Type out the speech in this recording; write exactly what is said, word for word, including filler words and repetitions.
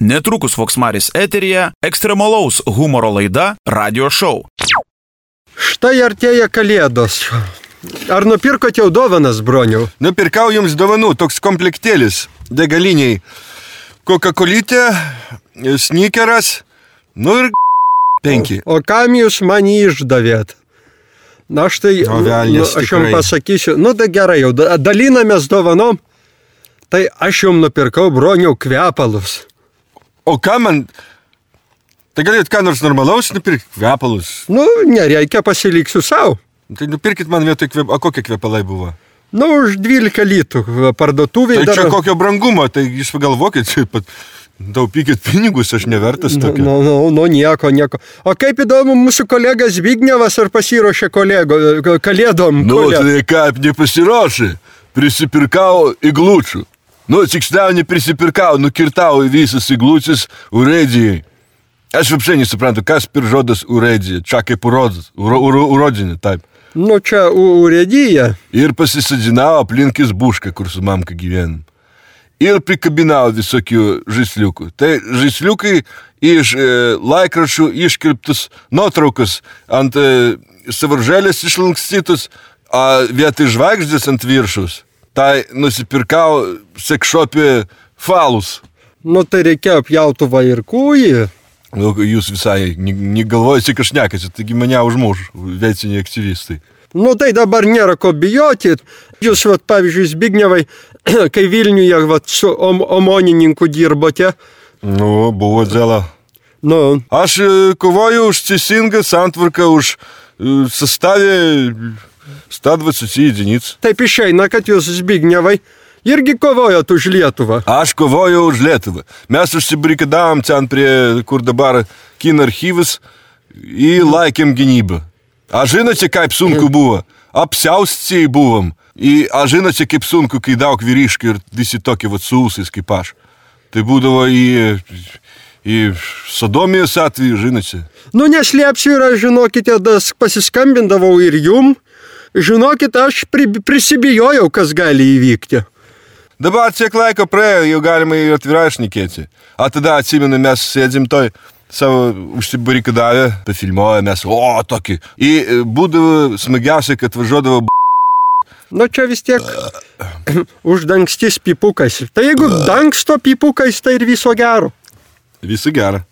Netrukus Voksmaris eteryje ekstremalaus humoro laida Radio Show. Štai artėja kalėdos. Ar nupirkot jau dovanas, broniau? Nupirkau jums dovanų, toks komplektėlis degaliniai. Coca-Colytė, sneakeras, nu ir penki. O, o kam jūs man išdavėt? Na štai, o, velnės, nu, aš jums pasakysiu, nu da gerai, jau dalinamės dovanom, tai aš jums nupirkau, broniau, kvepalus. O ką man... Tai galėt ką nors normalaus nupirkti? Kvepalus? Nu, nereikia, pasiliksiu savo. Tai nupirkit man vietoj kvep... A kokie kvepalai buvo? Nu, už dvylika litų parduotuvėje. Tai čia dar... kokio brangumo, tai jūs pagalvokit, pat taupykit pinigus, aš nevertas tokio. Nu, nu, nu, nieko, nieko. O kaip įdomu, mūsų kolegas Zbignevas ar pasiruošė kolego, kalėdom? Nu, kolė... tai kaip nepasiruošė, prisipirkau iglučių. Nu, tiksliau neprisipirkau, nukirtau visas iglučius urėdijai. Aš вообще не suprantu, kas per žodas urėdija, čia kaip urodis, urodinė, taip. Nu, čia urėdija. Ir pasisadinau aplinkis bušką, kur su mamka gyvenom. Ir prikabinau visokių žaisliukų. Tai žaisliukai iš e, laikraščių iškirptus nuotraukas ant e, savaržėlės išlankstytus, o vietoj žvaigždės ant viršus. Tai nusipirkau sekšopį falus. Nu, tai reikėjo pjautuvą ir kūjį. Nu, jūs visai negalvojate, kad šnekasi, taigi mane užmuš veiciniai aktyvistai. Nu, tai dabar nėra ko bijoti. Jūs, vat, pavyzdžiui, Zbignevai, kai Vilniuje vat, su om omonininku dirbote. Nu, buvo dėla. Nu. Aš kovoju už teisingą santvarką, už sastavę sto dvidešimt единиц. Taip išeina, kad jūs, Zbignevai, irgi kovojot už Lietuvą. Aš kovoju už Lietuvą. Mes užsibarikadavom ten prie, kur dabar kino archyvas, į laikėm gynybą. A žinote, kaip sunku buvo? Apsiaustiai buvom. I, a žinote, kaip sunku, kai daug vyriškių ir visi tokie vat su ūsais kaip aš. Tai būdavo į, į sodomijos atveju, žinote. Nu, neslėpsiu ir aš, žinokite, das pasiskambindavau ir jum. Žinokit, aš pri, prisibijojau, kas gali įvykti. Dabar tiek laiko praėjo, jau galima ir atvirai šnekėti. A tada atsimenu, mes sėdėm toj savo užsibarikadavę, pafilmuoja mes, o, tokį. Ir būdavo smagiausia, kad važiuodavo b***. Nu, čia vis tiek uždangstis pipukais. Tai jeigu dangsto pipukais, tai ir viso gero. Viso gero.